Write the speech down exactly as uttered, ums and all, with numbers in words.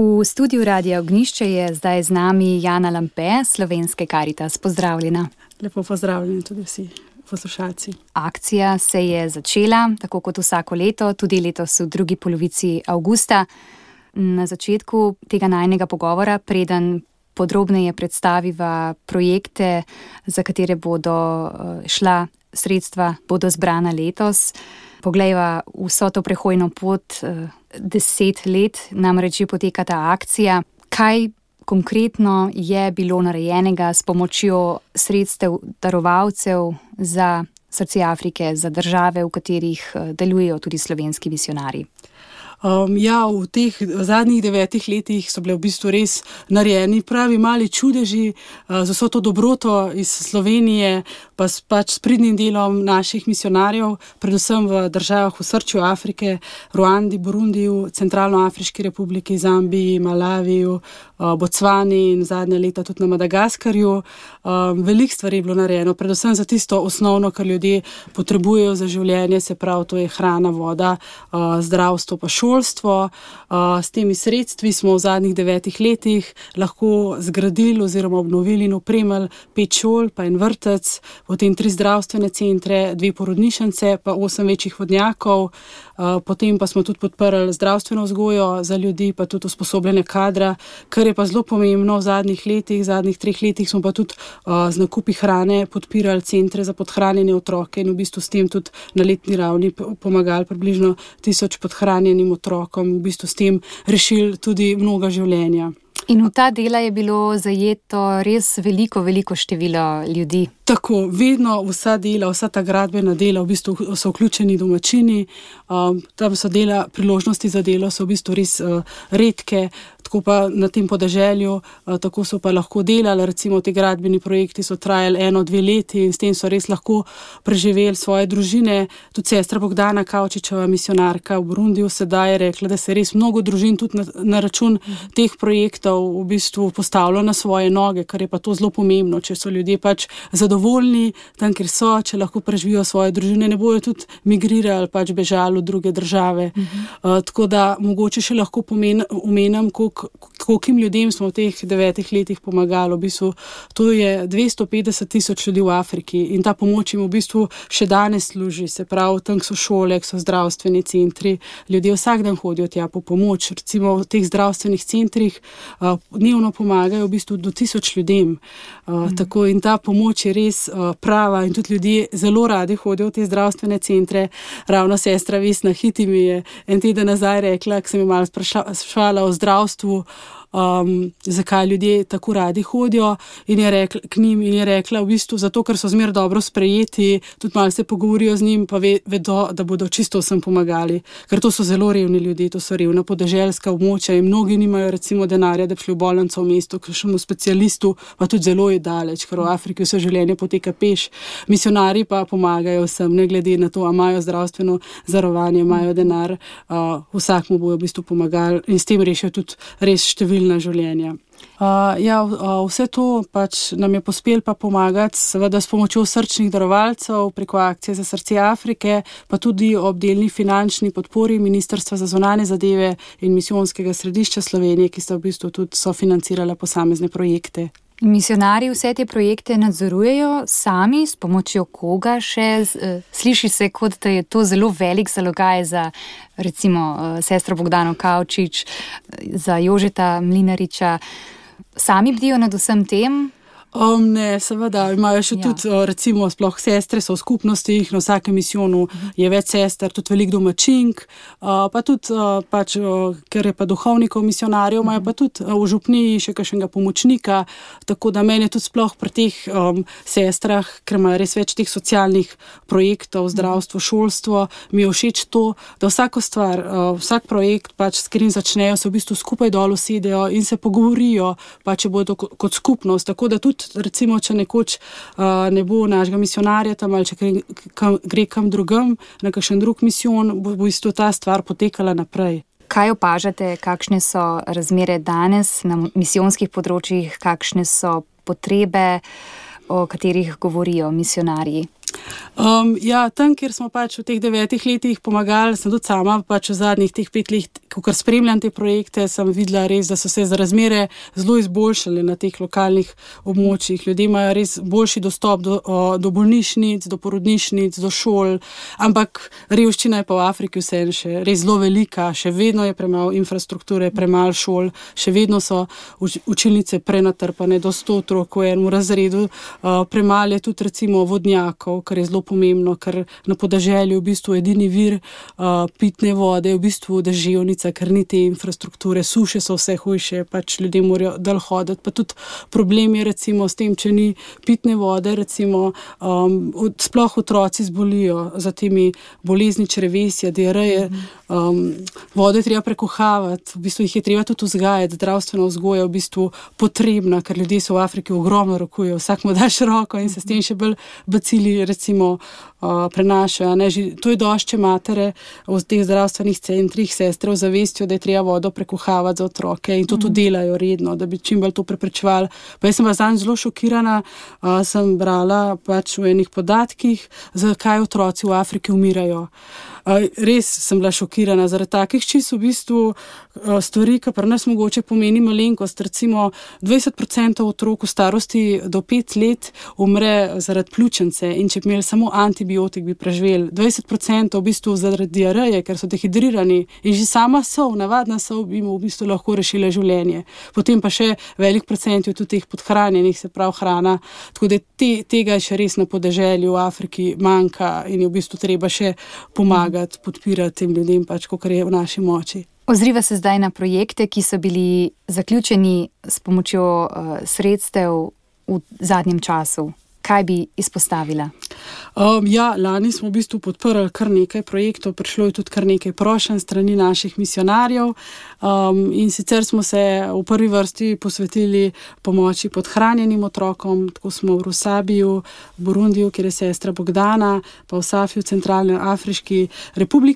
V studiu Radia Ognjišče je zdaj z nami Jana Lampe, Slovenske Karitas. Pozdravljena. Lepo pozdravljeni tudi vsi poslušalci. Akcija se je začela, tako kot vsako leto, tudi letos v drugi polovici avgusta. Na začetku tega najnega pogovora, preden podrobneje predstaviva projekte, za katere bodo šla sredstva, bodo zbrana letos. Poglejva vso to prehojno pot, deset let namreč že poteka ta akcija. Kaj konkretno je bilo narejenega s pomočjo sredstev darovalcev za srce Afrike, za države, v katerih delujejo tudi slovenski misijonarji? Um, ja, v teh zadnjih devetih letih so bile v bistvu res narejeni pravi mali čudeži uh, z vso to dobroto iz Slovenije, pa s pač s pridnim delom naših misijonarjev, predvsem v državah v srčju Afrike, Ruandi, Burundiju, Centralnoafriški republiki, Zambiji, Malaviju, uh, Bocvani in zadnja leta tudi na Madagaskarju. Um, veliko stvari je bilo narejeno, predvsem za tisto osnovno, kar ljudje potrebujejo za življenje, se pravi, to je hrana, voda, uh, zdravstvo pa šolstvo. S temi sredstvi smo v zadnjih devetih letih lahko zgradili oziroma obnovili in opremili pet šol, pa en vrtec, potem tri zdravstvene centre, dve porodnišnice, pa osem večjih vodnjakov. Potem pa smo tudi podprli zdravstveno vzgojo za ljudi, pa tudi usposobljene kadra, kar je pa zelo pomembno v zadnjih letih, v zadnjih treh letih smo pa tudi z nakupi hrane podpirali centre za podhranjene otroke in v bistvu s tem tudi na letni ravni pomagali približno tisoč podhranjenim otrokom, v bistvu s tem rešili tudi mnoga življenja. In v ta dela je bilo zajeto res veliko, veliko število ljudi. Tako, vedno vsa dela, vsa ta gradbena dela, v bistvu so vključeni domačini, um, tam so dela, priložnosti za delo so v bistvu res uh, redke, tako pa na tem podeželju, uh, tako so pa lahko delali, recimo ti gradbeni projekti so trajali eno, dve leti in s tem so res lahko preživeli svoje družine. Tudi sestra Bogdana Kavčičeva, misionarka v Burundiju, sedaj je rekla, da se res mnogo družin tudi na, na račun mhm. teh projektov v bistvu postavlja na svoje noge, kar je pa to zelo pomembno, če so ljudje pač zadovoljni tam, kjer so, če lahko preživijo svoje družine, ne bojo tudi migrirali, pač bežali v druge države. Uh-huh. Uh, tako da mogoče še lahko pomen, omenam, kolikim ljudem smo v teh devetih letih pomagali. V bistvu to je dvesto petdeset tisoč ljudi v Afriki in ta pomoč jim v bistvu še danes služi, se pravi, tam so šole, so zdravstveni centri, ljudje vsak dan hodijo tja po pomoč. Recimo v teh zdravstvenih centrih uh, dnevno pomagajo v bistvu do tisoč ljudem. Uh, mm. Tako in ta pomoč je res uh, prava in tudi ljudje zelo radi hodijo v te zdravstvene centre. Ravno sestra Vesna Hiti mi je en teden nazaj rekla, ko sem jo malo sprašvala o zdravstvu, Um, zakaj ljudje tako radi hodijo in je rekla, k njim in je rekla v bistvu zato, ker so zmer dobro sprejeti, tudi malo se pogovorijo z njim, pa ve, vedo, da bodo čisto vsem pomagali, ker to so zelo revni ljudje, to so revna podeželska območja in mnogi nimajo recimo denarja, da bi šli v bolnico v mestu, k kakšnemu specialistu, pa tudi zelo je daleč, ker v Afriki vse življenje poteka peš. Misionarji pa pomagajo vsem, ne glede na to, a imajo zdravstveno zarovanje, imajo denar, uh, vsak mu bojo v bistvu pomagali in s tem rešijo tudi res številne na življenja. Uh, ja, uh, vse to pač nam je pospelo pa pomagati, seveda s pomočjo srčnih darovalcev preko akcije za srce Afrike, pa tudi ob delni finančni podpori Ministrstva za zunanje zadeve in misijonskega središča Slovenije, ki sta v bistvu tudi sofinancirala posamezne projekte. Misionarji vse te projekte nadzorujejo sami, s pomočjo koga še? Sliši se, kot da je to zelo velik zalogaj za recimo sestro Bogdano Kavčič, za Jožeta Mlinariča. Sami bdijo nad vsem tem? Um, ne, seveda, imajo še ja. tudi, recimo, sploh sestre so v skupnostih, na vsakem misijonu je več sester, tudi veliko domačink, uh, pa tudi, uh, pač, uh, ker je pa duhovnikov misionarjev, imajo pa tudi uh, v župniji še kakšnega pomočnika, tako da meni tudi sploh pri teh um, sestrah, ker imajo res več teh socialnih projektov, zdravstvo, šolstvo, mi je všeč to, da vsako stvar, uh, vsak projekt, pač, s katerim začnejo, se v bistvu skupaj dol usedejo in se pogovorijo, pa če bodo kot skupnost, tako da tudi recimo, če nekoč uh, ne bo našega misionarja tam ali če gre kam, gre kam drugam, na kakšen drug misijon, bo v bistvu ta stvar potekala naprej. Kaj opažate, kakšne so razmere danes na misijonskih področjih, kakšne so potrebe, o katerih govorijo misionarji? Um, ja, tam, kjer smo pač v teh devetih letih pomagali, sem tudi sama pač v zadnjih teh pet let, ko spremljam te projekte, sem videla res, da so se razmere zelo izboljšale na teh lokalnih območjih. Ljudje imajo res boljši dostop do, do bolnišnic, do porodnišnic, do šol, ampak revščina je pa v Afriki vseeno še res zelo velika, še vedno je premalo infrastrukture, premalo šol, še vedno so učilnice prenatrpane, do sto otrok v enem razredu, uh, premalo je tudi recimo vodnjakov, kar je zelo pomembno, ker na podeželju v bistvu edini vir uh, pitne vode je v bistvu deževnica, ker ni te infrastrukture, suše so vse hujše, pač ljudje morajo dal hoditi, pa tudi problem je recimo s tem, če ni pitne vode, recimo um, od, sploh otroci zbolijo za temi bolezni črevesja, diareje, um, vode treba prekuhavati, v bistvu jih je treba tudi vzgajati, zdravstvena vzgoja v bistvu potrebna, ker ljudje so v Afriki ogromno rokujejo, vsak mu daš roko in se s tem še bolj bacili recimo uh, prenašajo. Ne? To je došče matere v teh zdravstvenih centrih, sestre zavestijo, da je treba vodo prekuhavati za otroke in to mm. tudi delajo redno, da bi čim bolj to preprečevali. Pa jaz sem bila zanj zelo šokirana, uh, sem brala pač v enih podatkih, zakaj otroci v Afriki umirajo. Uh, res sem bila šokirana, zaradi takih čisto v bistvu uh, stvari, ki pri nas mogoče pomeni malenkost. Recimo dvajset procentov otrok v starosti do pet let umre zaradi pljučnice in če bi imeli samo antibiotik, bi preživeli. dvajset procentov v bistvu zaradi diareje, ker so dehidrirani in že sama sol, navadna sol bi mu v bistvu lahko rešila življenje. Potem pa še velik procent je tudi teh podhranjenih, se pravi hrana, tako da te, tega še res na podeželju v Afriki manjka in je v bistvu treba še pomagati, podpirati tem ljudem, pač, kakor je v naši moči. Ozriva se zdaj na projekte, ki so bili zaključeni s pomočjo uh, sredstev v zadnjem času. Kaj bi izpostavila? Um, ja, lani smo v bistvu podprli kar nekaj projektov, prišlo je tudi kar nekaj prošenj strani naših misionarjev um, in sicer smo se v prvi vrsti posvetili pomoči podhranjenim otrokom, tako smo v Rusabiju, v Burundiju, kjer je sestra Bogdana, pa v Safiju, Centralne Afriški republiki.